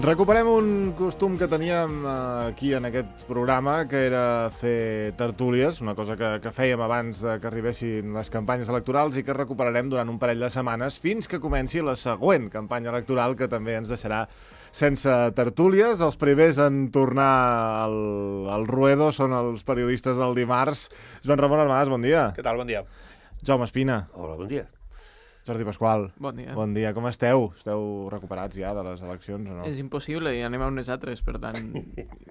Recuperem un costum que teníem aquí en aquest programa, que era fer tertúlies, una cosa que fèiem abans que arribessin les campanyes electorals i que recuperarem durant un parell de setmanes fins que comenci la següent campanya electoral, que també ens deixarà sense tertúlies. Els primers en tornar al ruedo són els periodistes del dimarts. Joan Ramon Armades, bon dia. Què tal? Bon dia. Jaume Espina. Hola, bon dia. Jordi Pasqual. Bon dia. Bon dia. Com esteu? Esteu recuperats ja de les eleccions o no? És impossible, i anem a unes altres, per tant,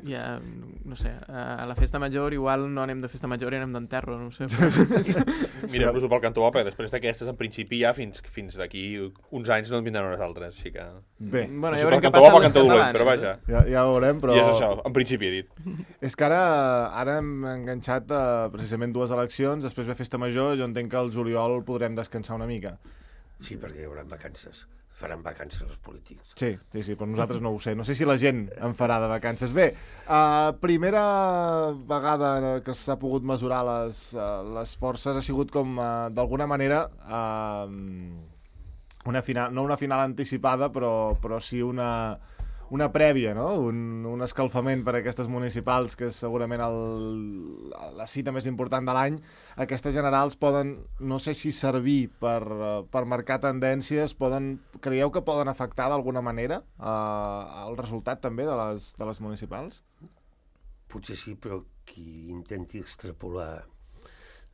ja, no sé, a la festa major igual no anem de festa major i anem d'enterro, no sé. Mirem-nos-ho pel cantó bo, perquè després d'aquestes, en principi, ja fins d'aquí uns anys no en vindran unes altres, així que... Bé. Bueno, ja ja veurem què cantó passa bo, amb les cantó dolent, catalanes. però vaja. Ja ho veurem, però... I és això, en principi he dit. És que ara hem enganxat precisament dues eleccions, després ve festa major, jo entenc que al juliol podrem descansar una mica. Sí, perquè hi haurà vacances. Faran vacances els polítics. Sí, però nosaltres no ho sé. No sé si la gent en farà de vacances. Bé, primera vegada que s'ha pogut mesurar les forces ha sigut com, d'alguna manera, una final, no una final anticipada, però sí una prèvia, no? Un escalfament per a aquestes municipals, que és segurament la cita més important de l'any. Aquestes generals poden, no sé si servir per marcar tendències, creieu que poden afectar d'alguna manera el resultat també de les municipals? Potser sí, però qui intenti extrapolar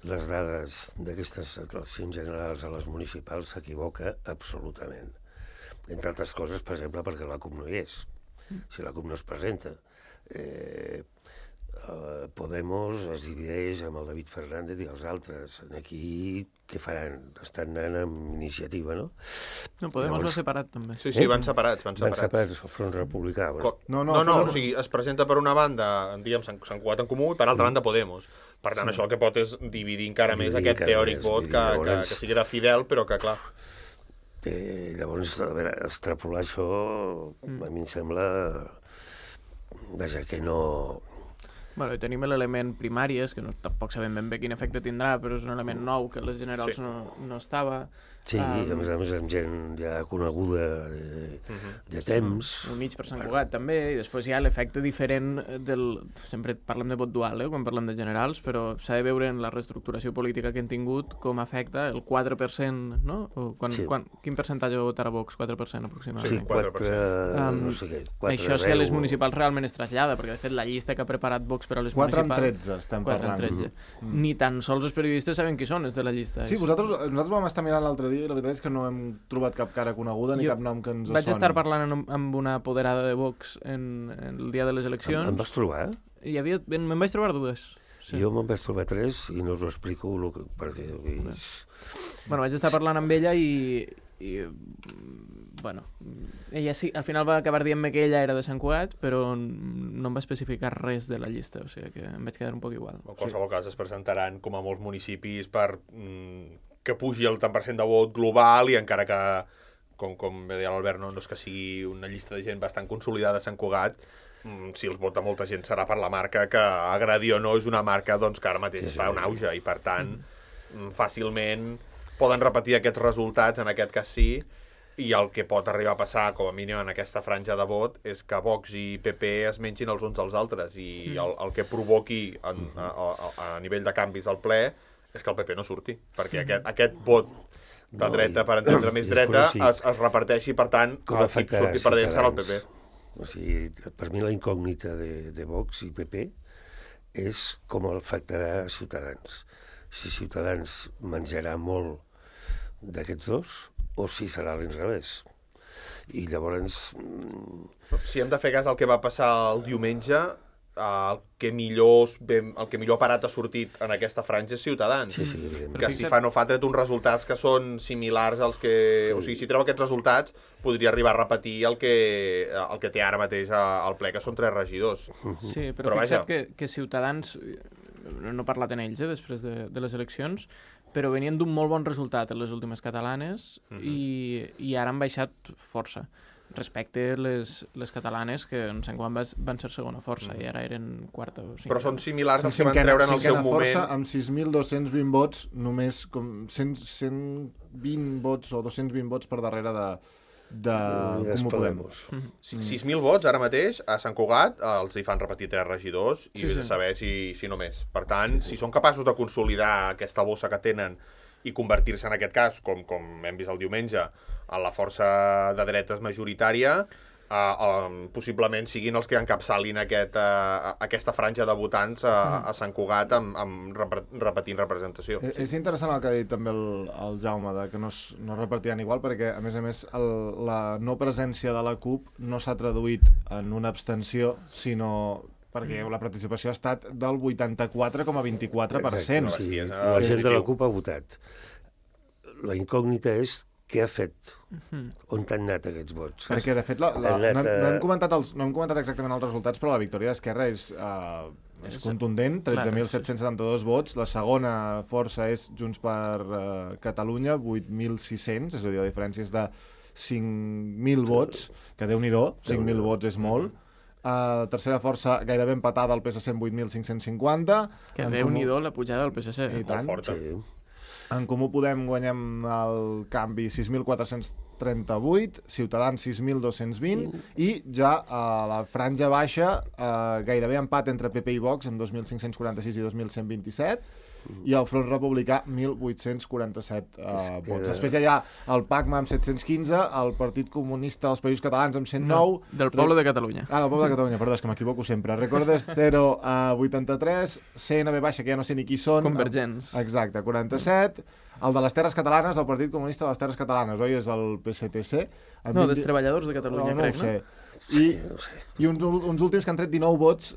les dades d'aquestes eleccions generals a les municipals s'equivoca absolutament. Entre altres coses, per exemple, perquè la CUP no hi és. Si la CUP no es presenta, Podemos es divideix amb el David Fernández i els altres. Aquí, què faran? Estan anant amb iniciativa, no? No, Podemos va separat, també. Sí, van separats. Van separats, el Front Republicà. No, o sigui, es presenta per una banda, diguem, Sant Cugat en Comú, i per altra banda Podemos. Per tant, això el que pot és dividir encara més aquest teòric vot que sí que era fidel, però que, clar... Llavors, a veure, extrapolar això, a mi em sembla... Vaja, que no... Bueno, i tenim l'element primàries, que tampoc sabem ben bé quin efecte tindrà, però és un element nou que les generals no estava. Sí, a més amb gent ja coneguda de temps. Un mig per Sant Cugat, també, i després hi ha l'efecte diferent del... Sempre parlem de vot dual, quan parlem de generals, però s'ha de veure en la reestructuració política que hem tingut com afecta el 4%, no? Quin percentatge votarà Vox? 4% aproximadament. Sí, 4%, no sé què. Això si a les municipals realment es trasllada, perquè de fet la llista que ha preparat Vox per a les 4 municipals... 4 en 13 estem parlant. 4 en 13. Ni tan sols els periodistes saben qui són, els de la llista. Sí, nosaltres vam estar mirant l'altre dia i la veritat és que no hem trobat cap cara coneguda ni cap nom que ens soni. Vaig estar parlant amb una apoderada de Vox el dia de les eleccions. Em vas trobar? Me'n vaig trobar dues. Sí. Jo me'n vaig trobar 3 i no us ho explico perquè... Bueno, vaig estar parlant amb ella i bueno, ella sí, al final va acabar dient-me que ella era de Sant Cugat, però no em va especificar res de la llista, o sigui que em vaig quedar un poc igual. En qualsevol cas es presentaran com a molts municipis per que pugi el tant per cent de vot global i encara que, com bé deia l'Albert, no és que sigui una llista de gent bastant consolidada a Sant Cugat, si els vota molta gent serà per la marca que, agradi o no, és una marca doncs, que ara mateix està en auge i per tant fàcilment poden repetir aquests resultats, en aquest cas sí, i el que pot arribar a passar, com a mínim en aquesta franja de vot, és que Vox i PP es mengin els uns dels altres i el que provoqui a nivell de canvis al ple és que el PP no surti, perquè aquest vot de dreta, per entendre més dreta, es reparteixi, per tant, el que surti perdent serà el PP. O sigui, per mi la incògnita de Vox i PP és com afectarà a Ciutadans. Si Ciutadans menjarà molt d'aquests dos o si serà a l'inrevés. I llavors... Si hem de fer cas al que va passar el diumenge, el que millor parat ha sortit en aquesta franja és Ciutadans. Sí, que si fa no fa tret uns resultats que són similars als que... Sí. O sigui, si treu aquests resultats, podria arribar a repetir el que té ara mateix al ple, que són 3 regidors. Sí, però fixa't que Ciutadans... No he parlat en ells, després de les eleccions, però venien d'un molt bon resultat en les últimes catalanes i ara han baixat força respecte les catalanes, que en Sant Cugat van ser segona força i ara eren quarta o cinquena. Però són similars als que van treure en el seu moment. Força, amb 6.220 vots, només com 120 vots o 220 vots per darrere de Comú Podem. 6.000 vots ara mateix a Sant Cugat els hi fan repetir 3 regidors i vés a saber si no més. Per tant, si són capaços de consolidar aquesta bossa que tenen i convertir-se en aquest cas, com hem vist el diumenge, en la força de dretes majoritària, possiblement siguin els que encapçalin aquesta franja de votants a Sant Cugat repetint representació. És interessant el que ha dit també el Jaume, que no es repartiran igual, perquè a més la no presència de la CUP no s'ha traduït en una abstenció, sinó perquè la participació ha estat del 84,24%. Sí, la gent de la CUP ha votat. La incògnita és què ha fet? On t'han anat aquests vots? Perquè, de fet, no hem comentat exactament els resultats, però la victòria d'Esquerra és contundent, 13.772 vots. La segona força és Junts per Catalunya, 8.600, és a dir, la diferència és de 5.000 vots, que Déu-n'hi-do, 5.000 vots és molt. Tercera força gairebé empatada al PSC amb 8.550. Que Déu-n'hi-do la pujada del PSC. I tant. Molt forta. En Comú Podem guanyem el canvi 6.438, Ciutadans 6.220 i ja a la franja baixa gairebé empat entre PP i Vox amb 2.546 i 2.127 i el Front Republicà 1.847 vots. Després hi ha el PACMA amb 715, el Partit Comunista dels Països Catalans amb 109... No, del Poble de Catalunya. Del Poble de Catalunya, perdó, és que m'equivoco sempre. Recordes 0 a 83, CNB baixa, que ja no sé ni qui són. Convergents. Exacte, 47. El de les Terres Catalanes, del Partit Comunista de les Terres Catalanes, oi? És el PSTC. No, dels Treballadors de Catalunya, crec, no? I uns últims que han tret 19 vots...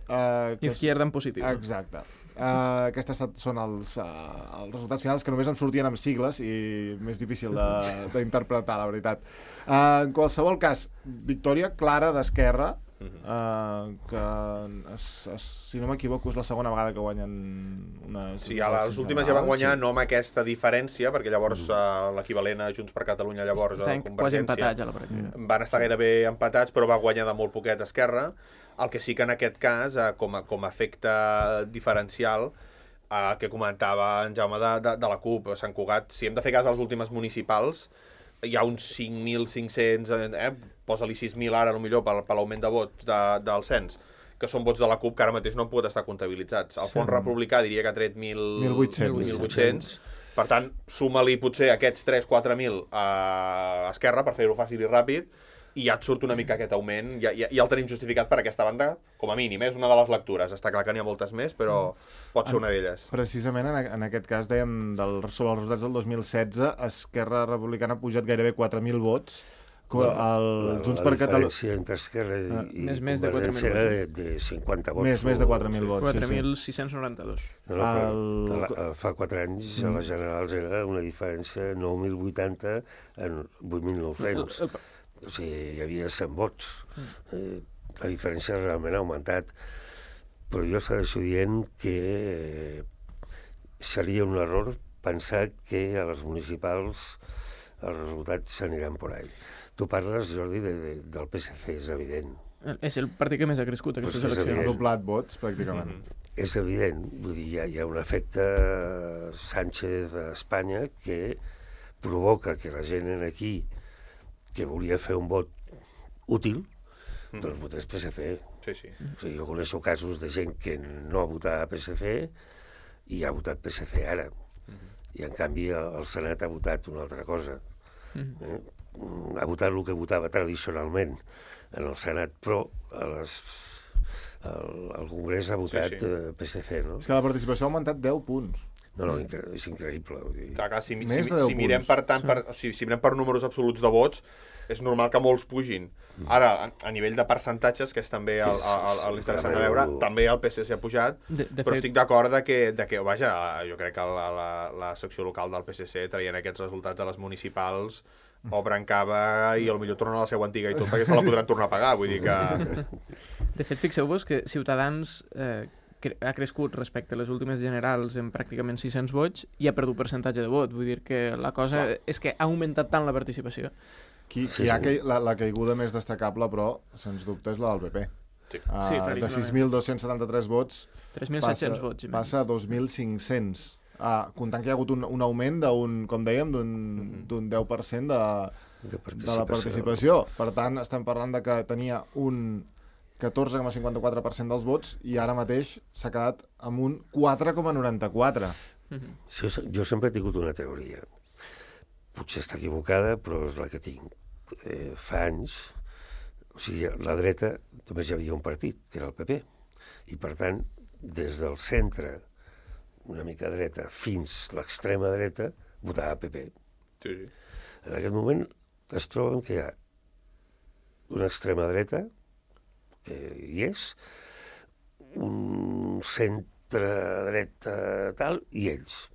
Izquierda en positiu. Exacte. Aquestes són els resultats finals, que només em sortien amb sigles i més difícil d'interpretar, la veritat. En qualsevol cas, victòria clara d'Esquerra, que si no m'equivoco és la segona vegada que guanyen Sí, a les últimes ja van guanyar no amb aquesta diferència, perquè llavors l'equivalent a Junts per Catalunya llavors a Convergència quasi empatats a la pràctica. Van estar gairebé empatats, però va guanyar de molt poquet Esquerra. El que sí que en aquest cas, com a efecte diferencial, que comentava en Jaume de la CUP, a Sant Cugat, si hem de fer cas a les últimes municipals, hi ha uns 5.500, posa-li 6.000 ara, potser per l'augment de vots del cens, que són vots de la CUP que ara mateix no han pogut estar comptabilitzats. El Front Republicà diria que ha tret 1.800. Per tant, suma-li potser aquests 3-4.000 a Esquerra, per fer-ho fàcil i ràpid, i ja et surt una mica aquest augment, ja el tenim justificat per aquesta banda, com a mínim, és una de les lectures. Està clar que n'hi ha moltes més, però pot ser una d'elles. Precisament en aquest cas, dèiem, sobre els resultats del 2016, Esquerra Republicana ha pujat gairebé 4.000 vots. Junts per Catalunya... La diferència entre Esquerra i més de 4.000 era de 50 vots. Més de 4.000 vots, 4.692. Fa 4 anys a les generals era una diferència 9.080 en 8.900. O sigui, hi havia 100 vots. La diferència realment ha augmentat. Però jo segueixo dient que seria un error pensar que a les municipals els resultats s'aniran por ahí. Tu parles, Jordi, del PSC, és evident. És el partit que més ha crescut aquestes eleccions. Ha doblat vots, pràcticament. És evident. Vull dir, hi ha un efecte Sánchez a Espanya que provoca que la gent aquí que volia fer un vot útil, doncs votés PSC. Sí. O sigui, jo coneixo casos de gent que no ha votat PSC i ha votat PSC ara. I, en canvi, el Senat ha votat una altra cosa. Ha votat el que votava tradicionalment en el Senat, però el Congrés ha votat PSC, no? És que la participació ha augmentat 10 punts. No, és increïble. Clar, si mirem si mirem per números absoluts de vots, és normal que molts pugin. Ara, a nivell de percentatges, que és també l'interessant de veure, també el PSC ha pujat, però estic d'acord que, vaja, jo crec que la secció local del PSC, traient aquests resultats de les municipals, obren cava i potser tornen a la seva antiga i tot, perquè se la podran tornar a pagar, vull dir que... De fet, fixeu-vos que Ciutadans ha crescut respecte a les últimes generals en pràcticament 600 vots i ha perdut percentatge de vot. Vull dir que la cosa és que ha augmentat tant la participació. La caiguda més destacable, però, sens dubte, és la del PP. De 6.273 vots 3.700 vots. Passa a 2.500. comptant que hi ha hagut un augment com dèiem, d'un 10% de la participació. Per tant, estem parlant de que tenia un 14,54% dels vots i ara mateix s'ha quedat amb un 4,94%. Sí, jo sempre he tingut una teoria. Potser està equivocada, però és la que tinc. Fa anys, o sigui, a la dreta només hi havia un partit, que era el PP. I, per tant, des del centre, una mica dreta, fins l'extrema dreta, votava PP. Sí. En aquest moment es troben que hi ha una extrema dreta, que hi és, un centre-dreta tal, i ells.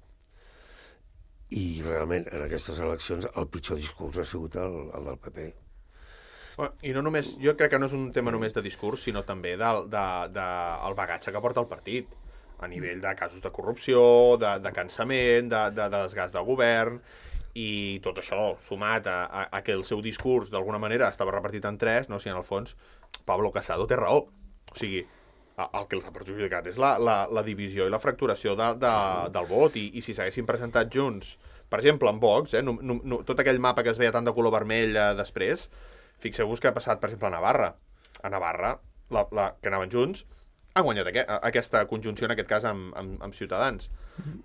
I realment, en aquestes eleccions, el pitjor discurs ha sigut el del PP. I no només, jo crec que no és un tema només de discurs, sinó també del bagatge que porta el partit, a nivell de casos de corrupció, de cansament, de desgast del govern, i tot això sumat a que el seu discurs d'alguna manera estava repartit en tres, no? Si en el fons Pablo Casado té raó. O sigui, el que els ha perjudicat és la divisió i la fracturació del vot, i si s'haguessin presentat junts, per exemple, en Vox, tot aquell mapa que es veia tant de color vermell després, fixeu-vos que ha passat, per exemple, a Navarra. A Navarra, que anaven junts, han guanyat aquesta conjunció, en aquest cas, amb Ciutadans.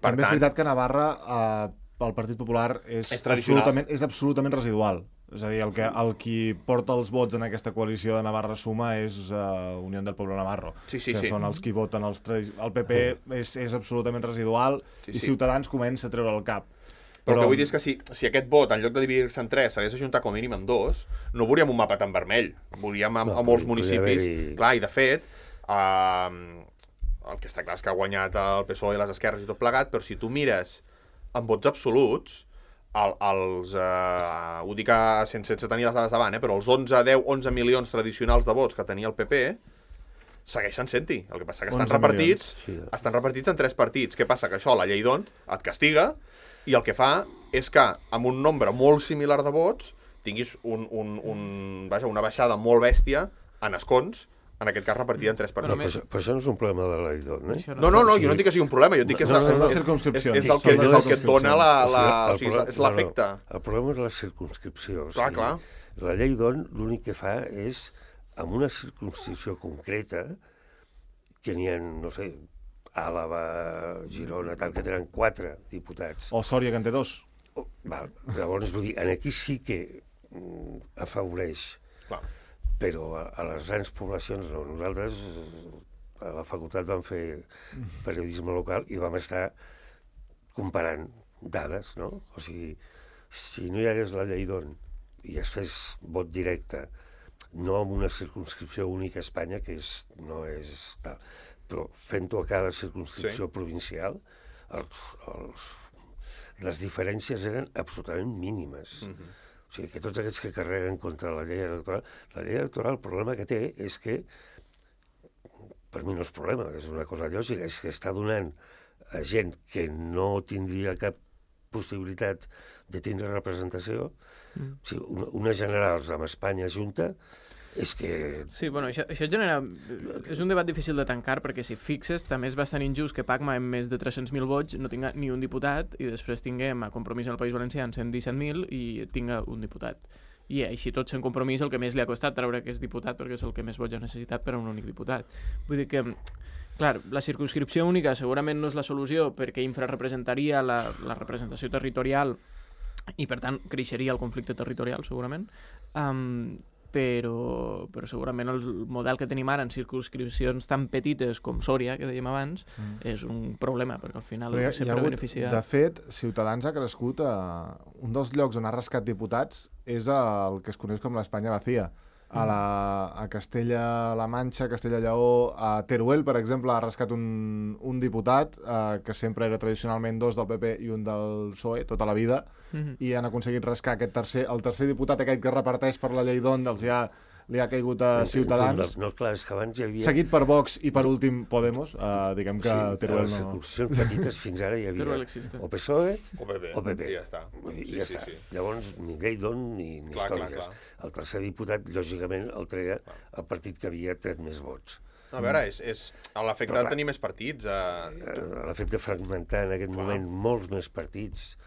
També és veritat que a Navarra el Partit Popular és absolutament residual. És a dir, el qui porta els vots en aquesta coalició de Navarra Suma és Unión del Pueblo Navarro, que són els qui voten el PP és absolutament residual i Ciutadans comença a treure el cap. Però el que vull dir és que si aquest vot, en lloc de dividir-se en tres, s'hagués ajuntat com a mínim en dos, no veuríem un mapa tan vermell. Veuríem a molts municipis. Clar, i de fet, el que està clar és que ha guanyat el PSOE i les esquerres i tot plegat, però si tu mires en vots absoluts, ho dic sense tenir les dades davant, però els 11 milions tradicionals de vots que tenia el PP segueixen sent-hi. El que passa que estan repartits en tres partits. Què passa? Que això, la llei d'Ont, et castiga, i el que fa és que amb un nombre molt similar de vots tinguis una baixada molt bèstia en escons, en aquest cas repartida en tres partits. Però això no és un problema de la llei d'Ont, eh? No, jo no dic que sigui un problema, jo dic que és el que et dona és l'efecte. El problema és la circumscripció. Clar. La llei d'Ont l'únic que fa és, amb una circumscripció concreta, que n'hi ha, no sé, Àlava, Girona, tal, que tenen 4 diputats. O Sòria, que en té 2. Llavors, vull dir, aquí sí que afavoreix. Clar. Però a les grans poblacions no. Nosaltres a la facultat vam fer periodisme local i vam estar comparant dades, no? O sigui, si no hi hagués la llei d'Ont i es fes vot directe, no amb una circumscripció única a Espanya, que no és tal, però fent-ho a cada circumscripció provincial, les diferències eren absolutament mínimes. O sigui, que tots aquests que carreguen contra la llei electoral, el problema que té és que, per mi no és problema, és una cosa lògica, és que està donant a gent que no tindria cap possibilitat de tindre representació, o sigui, unes generals amb Espanya junta, és que... Sí, bueno, això genera... És un debat difícil de tancar, perquè si fixes, també és bastant injust que Pacma amb més de 300.000 vots no tinga ni un diputat i després tinguem a Compromís en el País Valencià en 117.000 i tinga un diputat. I així tot sent Compromís el que més li ha costat treure que és diputat perquè és el que més vots ha necessitat per a un únic diputat. Vull dir que, clar, la circumscripció única segurament no és la solució perquè infrarrepresentaria la representació territorial i, per tant, creixeria el conflicte territorial, segurament. Però segurament el model que tenim ara en circumscripcions tan petites com Sòria, que dèiem abans, és un problema, perquè al final sempre beneficia... De fet, Ciutadans ha crescut un dels llocs on ha rascat diputats és el que es coneix com l'Espanya vacía. A Castella-La Manxa, Castella-Lleó, a Teruel, per exemple, ha rascat un diputat que sempre era tradicionalment 2 del PP i un del PSOE tota la vida, i han aconseguit rascar el tercer diputat aquest que reparteix per la llei d'Ont, li ha caigut a Ciutadans. No, clar, és que abans hi havia... Seguit per Vox i per últim Podemos, diguem que Teruel no... Sí, les circumscripcions petites fins ara hi havia o PSOE o PP. I ja està. Sí. Llavors, ni llei d'Ont ni històries. El tercer diputat, lògicament, el treia el partit que havia tret més vots. A veure, és l'efecte de tenir més partits. L'efecte de fragmentar en aquest moment molts més partits.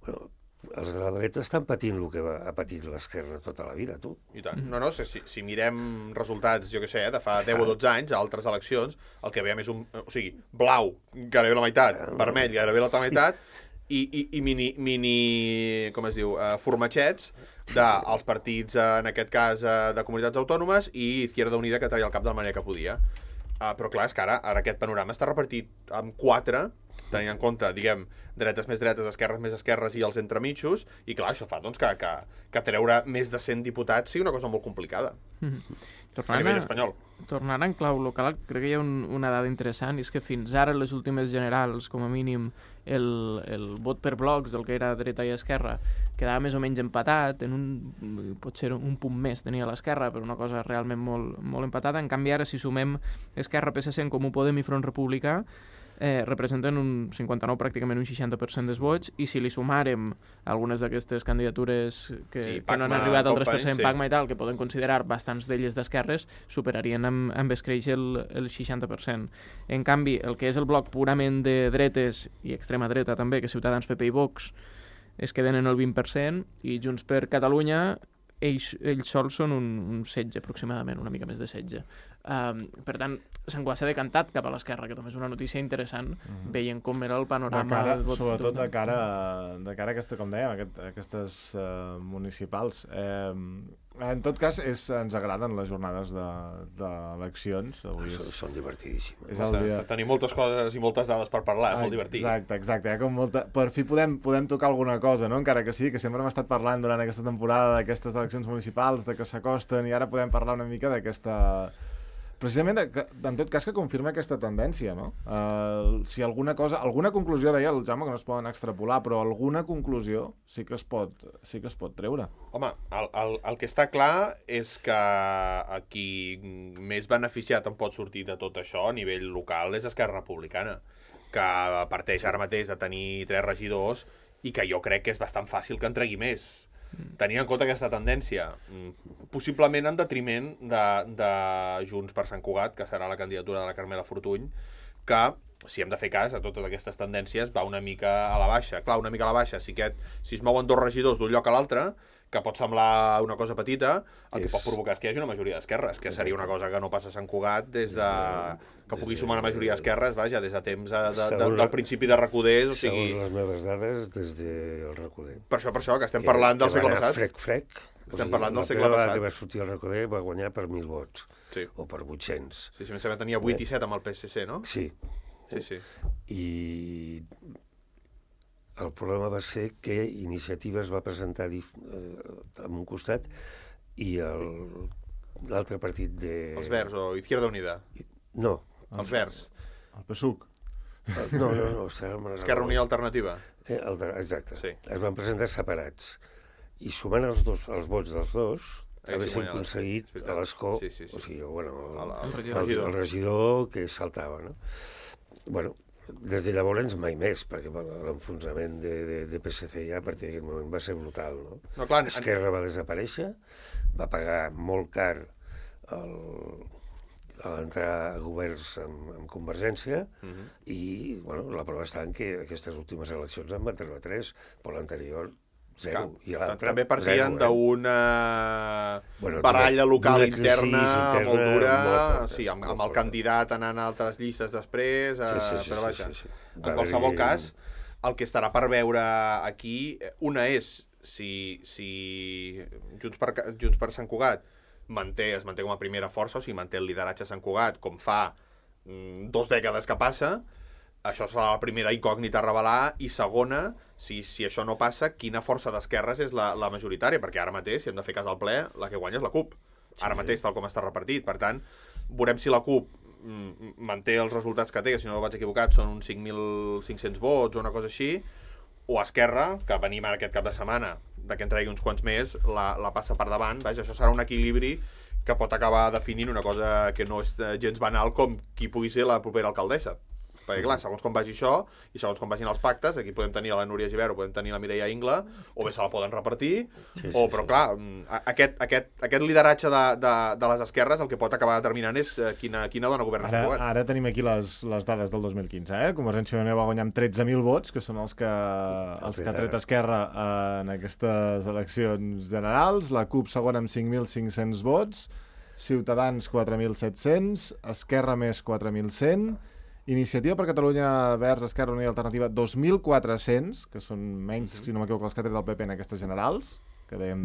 Bueno, els de la dreta estan patint el que ha patit l'esquerra tota la vida, tu. I tant. No, si mirem resultats, jo què sé, de fa 10 o 12 anys, a altres eleccions, el que veiem és o sigui, blau, gairebé la meitat, vermell, gairebé l'altra meitat, i mini, com es diu, formatgets dels partits, en aquest cas, de comunitats autònomes, i Izquierda Unida, que traia el cap de la manera que podia. Però clar, és que ara aquest panorama està repartit en 4, tenint en compte, diguem, dretes més dretes, esquerres més esquerres i els entremitjos, i clar, això fa doncs, que treure més de 100 diputats sigui una cosa molt complicada. A nivell espanyol. Tornant en clau local, crec que hi ha una dada interessant, i és que fins ara, les últimes generals, com a mínim, el vot per blocs del que era dreta i esquerra quedava més o menys empatat, potser un punt més tenia l'esquerra, però una cosa realment molt, molt empatada. En canvi, ara, si sumem Esquerra, PSC, en Comú Podem i Front Republicà, representen un 59, pràcticament un 60% dels vots, i si li sumàrem algunes d'aquestes candidatures que no han arribat al 3%, Pacma i tal, que poden considerar bastants d'elles d'esquerres, superarien amb escreix el 60%. En canvi, el que és el bloc purament de dretes, i extrema dreta també, que Ciutadans, PP i Vox, es queden en el 20%, i Junts per Catalunya, ells sols són un 16 aproximadament, una mica més de 16. Per tant, Sant Cugat s'ha decantat cap a l'esquerra, que també és una notícia interessant, veient com era el panorama del vot. Sobretot de cara a aquesta, com dèiem, aquestes municipals. En tot cas, ens agraden les jornades d'eleccions. Són divertidíssimes. Tenim moltes coses i moltes dades per parlar, és molt divertit. Exacte. Per fi podem tocar alguna cosa, no? Encara que sí, que sempre hem estat parlant durant aquesta temporada d'aquestes eleccions municipals, de que s'acosten, i ara podem parlar una mica d'aquesta... Precisament, en tot cas, que confirma aquesta tendència, no? Si alguna conclusió, deia el Jaume, que no es poden extrapolar, però alguna conclusió sí que es pot treure. Home, el que està clar és que qui més beneficiat en pot sortir de tot això a nivell local és Esquerra Republicana, que parteix ara mateix de tenir 3 regidors i que jo crec que és bastant fàcil que en tregui més. Tenint en compte aquesta tendència, possiblement en detriment de Junts per Sant Cugat, que serà la candidatura de la Carmela Fortuny, que, si hem de fer cas a totes aquestes tendències, va una mica a la baixa. Clar, una mica a la baixa, si es mouen 2 regidors d'un lloc a l'altre, que pot semblar una cosa petita, el que pot provocar és que hi hagi una majoria d'esquerres, que seria una cosa que no passa a Sant Cugat des de... que pugui sumar una majoria d'esquerres, vaja, des de temps del principi de Recuders, o sigui... Segons les meves dades, des del Recoder. Per això, que estem parlant del segle passat. Frec. Estem parlant del segle passat. La primera que va sortir el Recoder va guanyar per 1.000 vots, o per 800. Sí, més o menys tenia 8 i 7 amb el PSC, no? Sí. I el problema va ser que Iniciativa es va presentar en un costat i l'altre partit de... Els Verds o Izquierda Unida? No. Els Verds? El PSUC? No. Esquerra Unida Alternativa? Exacte. Sí. Es van presentar separats. I sumant els vots dels dos, haguessin aconseguit a l'escó, o sigui, el regidor que saltava, no? Bueno, des de llavors mai més, perquè l'enfonsament de PSC ja a partir d'aquest moment va ser brutal, no? Esquerra va desaparèixer, va pagar molt car a l'entrar a governs amb Convergència i la prova està en que aquestes últimes eleccions en van treure 3, però l'anterior 0. També partien d'una baralla local interna molt dura, amb el candidat anant a altres llistes després, però vaja, en qualsevol cas, el que estarà per veure aquí, una és si Junts per Sant Cugat es manté com a primera força, o sigui, manté el lideratge a Sant Cugat, com fa 2 dècades que passa. Això serà la primera incògnita a revelar, i segona, si això no passa, quina força d'esquerres és la majoritària, perquè ara mateix, si hem de fer cas al ple, la que guanya és la CUP. Ara mateix, tal com està repartit. Per tant, veurem si la CUP manté els resultats que té, que si no vaig equivocat són uns 5.500 vots o una cosa així, o Esquerra, que venim ara aquest cap de setmana, que en tregui uns quants més, la passa per davant. Vaja, això serà un equilibri que pot acabar definint una cosa que no és gens banal com qui pugui ser la propera alcaldessa. perquè clar, segons com vagi això, i segons com vagin els pactes, aquí podem tenir la Núria Gibert, podem tenir la Mireia Ingla, o bé se la poden repartir, però clar, aquest lideratge de les esquerres el que pot acabar determinant és quina dona governa el govern. Ara tenim aquí les dades del 2015, Convergència i Unió va guanyar amb 13.000 vots, que són els que ha tret Esquerra en aquestes eleccions generals, la CUP segona amb 5.500 vots, Ciutadans 4.700, Esquerra més 4.100, Iniciativa per Catalunya Verds, Esquerra Unida i Alternativa 2.400, que són menys, si no m'equivoco, els que ha tret el PP en aquestes generals, que dèiem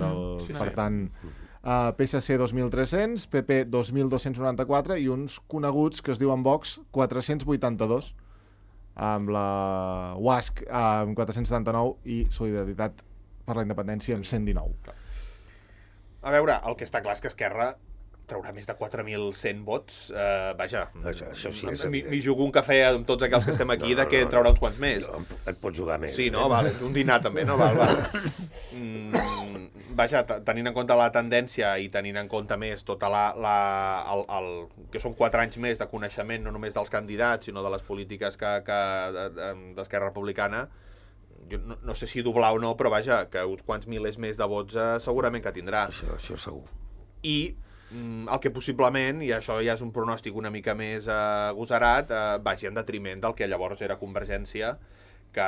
per tant, PSC 2.300, PP 2.294 i uns coneguts que es diuen Vox 482, amb la UASC amb 479 i Solidaritat per la Independència amb 119. A veure, el que està clar és que Esquerra traurà més de 4.100 vots. Vaja, això sí, m'hi jugo un cafè amb tots aquells que estem aquí de que traurà uns quants més. Et pots jugar més. Sí, no? Vale. Un dinar també, no? Val. Vaja, tenint en compte la tendència i tenint en compte més tota que són 4 anys més de coneixement, no només dels candidats, sinó de les polítiques d'Esquerra Republicana, jo no sé si doblar o no, però vaja, que uns quants milers més de vots segurament que tindrà. Això segur. I el que possiblement, i això ja és un pronòstic una mica més agosarat, vagi en detriment del que llavors era Convergència, que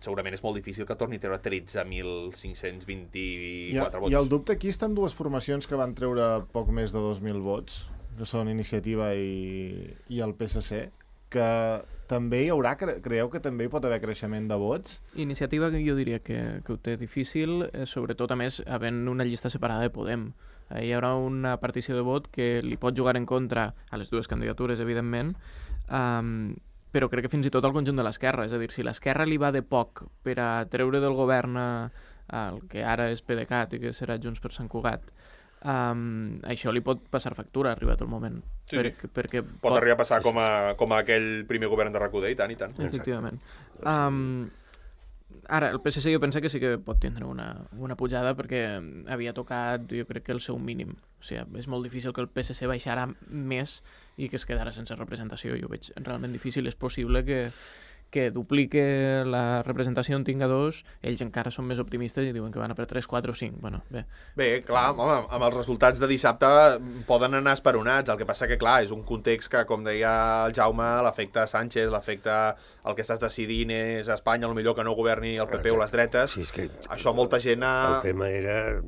segurament és molt difícil que torni a treure 13.524 vots. I el dubte aquí estan dues formacions que van treure poc més de 2.000 vots, que són Iniciativa i el PSC, que també hi haurà, creieu que també hi pot haver creixement de vots? Iniciativa jo diria que ho té difícil, sobretot a més havent una llista separada de Podem. Hi haurà una partició de vot que li pot jugar en contra a les dues candidatures, evidentment, però crec que fins i tot al conjunt de l'esquerra. És a dir, si l'esquerra li va de poc per a treure del govern el que ara és PDeCAT i que serà Junts per Sant Cugat, això li pot passar factura, arribat el moment. Sí, perquè pot arribar a passar com a aquell primer govern de RAC1, i tant, i tant. Efectivament. Ara, el PSC jo penso que sí que pot tindre una pujada perquè havia tocat, jo crec que el seu mínim. O sigui, és molt difícil que el PSC baixara més i que es quedara sense representació. Jo ho veig realment difícil. És possible que duplique la representació en tinga 2, ells encara són més optimistes i diuen que van a per 3, 4 o 5. Bueno, bé, clar, home, amb els resultats de dissabte poden anar esperonats. El que passa que, clar, és un context que, com deia el Jaume, l'efecte Sánchez, l'efecte el que estàs decidint és a Espanya, potser que no governi el PP o les dretes. Sí, és que això molta gent... El tema era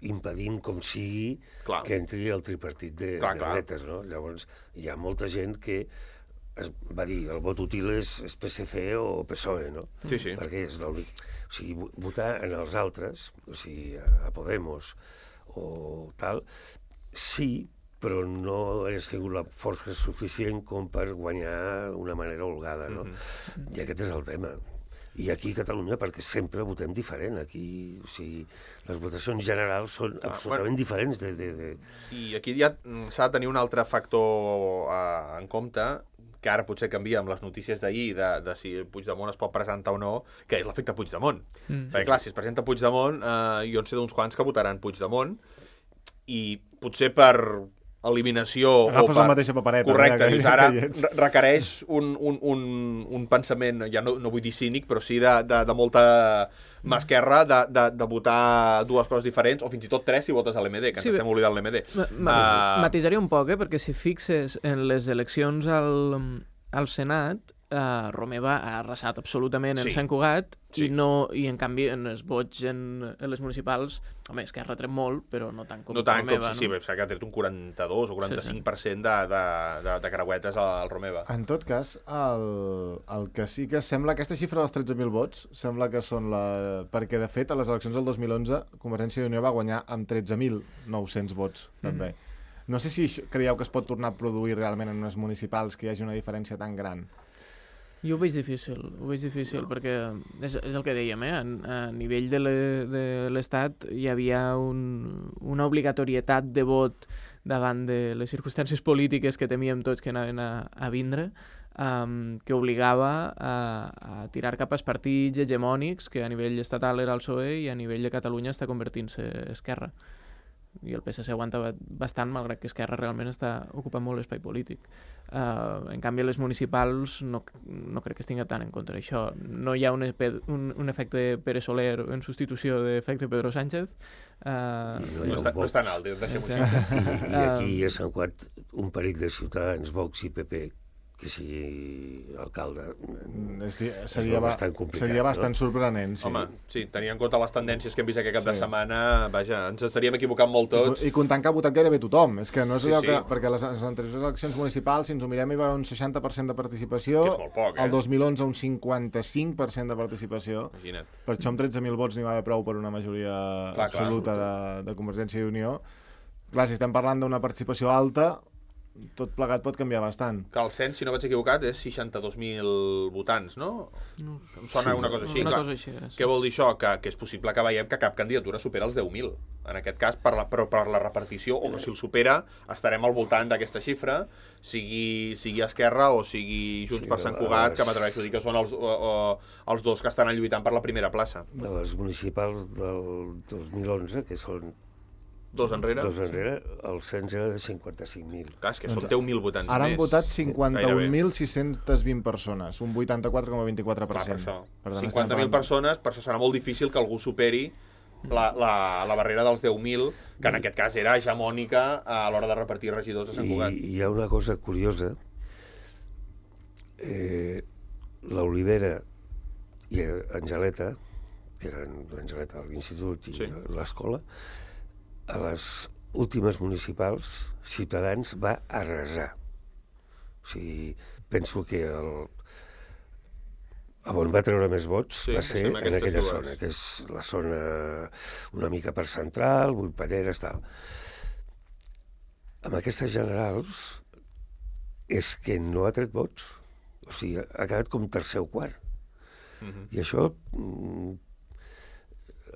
impedint com sigui que entri el tripartit de dretes, no? Llavors, hi ha molta gent que va dir, el vot útil és PSC o PSOE, no? Sí. Perquè és l'únic... O sigui, votar en els altres, o sigui, a Podemos o tal, sí, però no ha sigut la força suficient com per guanyar d'una manera holgada, no? I aquest és el tema. I aquí a Catalunya, perquè sempre votem diferent. Aquí, o sigui, les votacions generals són absolutament diferents. I aquí ja s'ha de tenir un altre factor en compte, que ara potser canvia amb les notícies d'ahir de si Puigdemont es pot presentar o no, que és l'efecte Puigdemont. Perquè clar, si es presenta Puigdemont, jo en sé d'uns quants que votaran Puigdemont, i potser per eliminació... Agafes la mateixa papereta. Correcte, ara requereix un pensament, ja no vull dir cínic, però sí de molta mà esquerra, de votar dues coses diferents, o fins i tot tres si votes a l'MD, que ens estem oblidant l'MD. Matisaria un poc, perquè si fixes en les eleccions al Senat, Romeva ha arrasat absolutament en Sant Cugat i en canvi en els vots en les municipals, home, és que ha retret molt, però no tant com Romeva. Sí, s'ha que ha tret un 42 o 45% de creuetes al Romeva. En tot cas, el que sí que sembla, aquesta xifra dels 13.000 vots, sembla que són perquè de fet a les eleccions del 2011 Convergència i Unió va guanyar amb 13.900 vots, també. No sé si creieu que es pot tornar a produir realment en unes municipals que hi hagi una diferència tan gran. Jo ho veig difícil, perquè és el que dèiem, a nivell de l'Estat hi havia una obligatorietat de vot davant de les circumstàncies polítiques que temíem tots que anaven a vindre, que obligava a tirar cap als partits hegemònics, que a nivell estatal era el PSOE i a nivell de Catalunya està convertint-se Esquerra. i el PSC aguanta bastant, malgrat que Esquerra realment està ocupant molt l'espai polític. En canvi, les municipals no crec que es tingui tant en compte això. No hi ha un efecte Pere Soler en substitució d'efecte Pedro Sánchez. No és tan alt, deixem-ho així. I aquí a Sant Cugat un parell de ciutadans, Vox i PP, que sigui alcalde, seria bastant complicat. Seria bastant sorprenent, sí. Home, sí, tenint en compte les tendències que hem vist aquest cap de setmana, vaja, ens estaríem equivocant molt tots. I comptant que ha votat gairebé tothom. És que no és allò que... Perquè les anteriors eleccions municipals, si ens ho mirem, hi va haver un 60% de participació. Que és molt poc, El 2011 un 55% de participació. Imagina't. Per això amb 13.000 vots n'hi va haver prou per una majoria absoluta de Convergència i Unió. Clar, si estem parlant d'una participació alta, tot plegat pot canviar bastant. Que el cens, si no vaig equivocat, és 62.000 votants, no? Em sona una cosa així. Una cosa així és. Què vol dir això? Que és possible que veiem que cap candidatura supera els 10.000. En aquest cas, però per la repartició, o que si el supera, estarem al voltant d'aquesta xifra, sigui Esquerra o sigui Junts per Sant Cugat, que m'atreveixo a dir que són els dos que estan lluitant per la primera plaça. De les municipals del 2011, que són Dos enrere, el cens era de 55.000. Clar, és que són 10.000 votants més. Ara han votat 51.620 persones, un 84,24%. Per això. 50.000 persones, per això serà molt difícil que algú superi la barrera dels 10.000, que en aquest cas era hegemònica a l'hora de repartir regidors a Sant Cugat. I hi ha una cosa curiosa. L'Olivera i Angeleta, que eren l'Angeleta a l'institut i l'escola, a les últimes municipals, Ciutadans va arrasar. O sigui, penso que on va treure més vots va ser en aquella zona, que és la zona una mica per central, Vullpalleres, tal. Amb aquestes generals és que no ha tret vots. O sigui, ha quedat com tercer o quart. I això,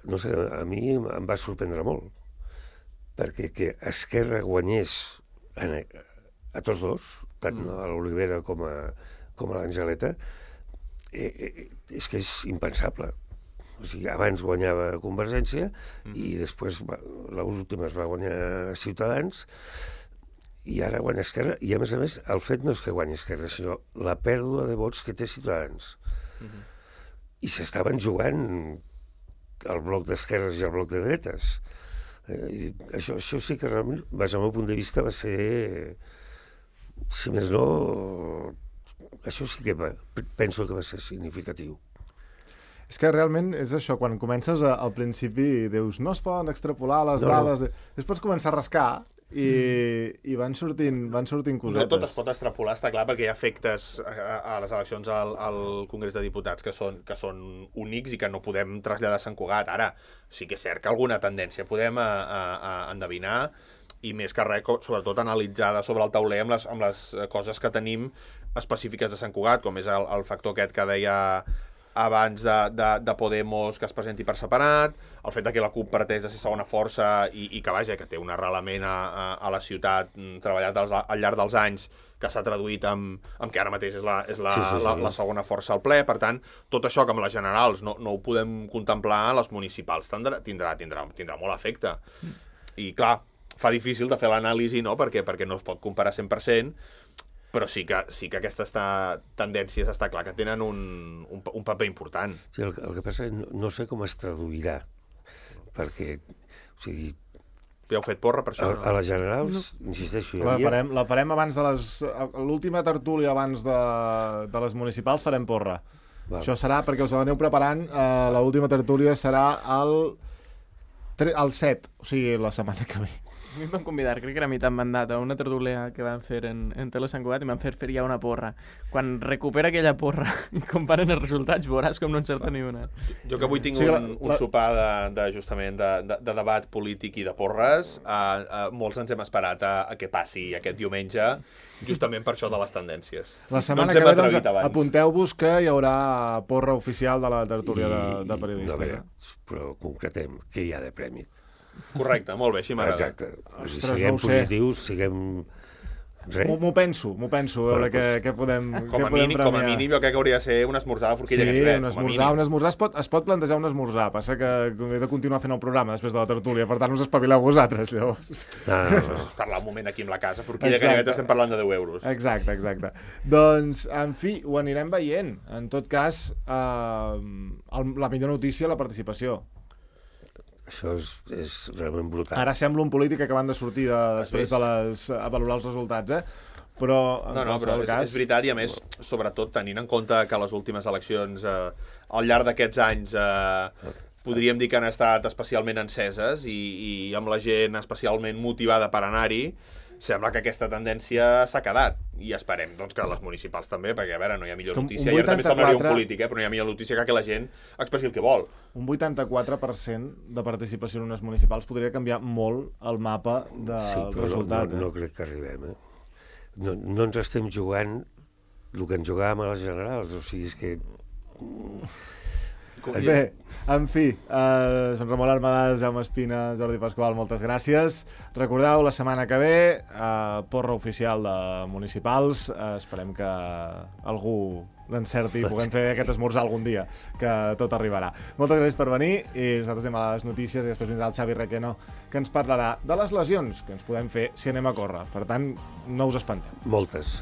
no sé, a mi em va sorprendre molt. Perquè que Esquerra guanyés a tots dos, tant a l'Olivera com a l'Angeleta, és que és impensable. O sigui, abans guanyava Convergència i després l'última es va guanyar Ciutadans i ara guanya Esquerra. I a més, el fet no és que guanyi Esquerra, sinó la pèrdua de vots que té Ciutadans. I s'estaven jugant el bloc d'esquerres i el bloc de dretes. Això sí que realment, des del meu punt de vista, va ser, si més no, això sí que penso que va ser significatiu. És que realment és això, quan comences al principi dius, no es poden extrapolar les dades, després pots començar a rascar i van sortint cosetes. No tot es pot extrapolar, està clar, perquè hi ha efectes a les eleccions al Congrés de Diputats que són únics i que no podem traslladar a Sant Cugat. Ara, sí que és cert que alguna tendència podem endevinar, i més que res, sobretot analitzada sobre el tauler amb les coses que tenim específiques de Sant Cugat, com és el factor aquest que deia abans de Podemos que es presenti per separat, el fet que la CUP parteix de ser segona força i que, vaja, que té un arrelament a la ciutat treballat al llarg dels anys, que s'ha traduït amb que ara mateix és la segona força al ple. Per tant, tot això que amb les generals no ho podem contemplar, les municipals tindrà molt efecte. I, clar, fa difícil de fer l'anàlisi, no?, perquè no es pot comparar 100%, però sí que aquestes tendències està clar que tenen un paper important. Sí, el que passa és que no sé com es traduirà, perquè, o sigui... Ja heu fet porra per això? A les generals, insisteixo... La farem abans de l'última tertúlia abans de les municipals, farem porra. Això serà, perquè us l'aneu preparant, l'última tertúlia serà el 7, o sigui, la setmana que ve. A mi em van convidar, crec que era a mitjà mandat, a una tertúlia que van fer en Tele Sant Cugat i m'han fet ja una porra. Quan recupera aquella porra i comparen els resultats, veuràs com no encerta ni una. Jo que avui tinc un sopar justament de debat polític i de porres, molts ens hem esperat a què passi aquest diumenge, justament per això de les tendències. La setmana que ve, doncs, apunteu-vos que hi haurà porra oficial de la tertúlia de periodística. Però concretem, què hi ha de premi? Correcte, molt bé, així m'agrada. Exacte. Siguem positius, siguem M'ho penso, a veure què podem premiar. Com a mínim jo crec que hauria de ser un esmorzar de forquilla Ganivet. Sí, un esmorzar es pot plantejar un esmorzar, passa que he de continuar fent el programa després de la tertúlia, per tant us espavileu vosaltres, llavors. No. Parlar un moment aquí amb la casa, forquilla Ganivet estem parlant de 10 euros. Exacte. Doncs, en fi, ho anirem veient. En tot cas, la millor notícia, la participació. Això és realment brutal. Ara sembla un polític acabant de sortir després de a valorar els resultats, però en qualsevol cas... És veritat, i a més, sobretot tenint en compte que les últimes eleccions al llarg d'aquests anys podríem dir que han estat especialment enceses i amb la gent especialment motivada per anar-hi, sembla que aquesta tendència s'ha quedat. I esperem doncs, que les municipals també, perquè a veure, no hi ha millor notícia. I ara també semblaria un polític, però no hi ha millor notícia que la gent expressi el que vol. Un 84% de participació en unes municipals podria canviar molt el mapa del resultat. No crec que arribem. No ens estem jugant el que ens jugàvem a les generals. O sigui, és que... Bé, en fi, Sant Ramon Armadàs, Jaume Espina, Jordi Pasqual, moltes gràcies. Recordeu, la setmana que ve, porra oficial de municipals. Esperem que algú l'encerti i puguem fer aquest esmorzar algun dia, que tot arribarà. Moltes gràcies per venir i nosaltres anem a les notícies i després vindrà el Xavi Requeno, que ens parlarà de les lesions que ens podem fer si anem a córrer. Per tant, no us espanteu. Moltes.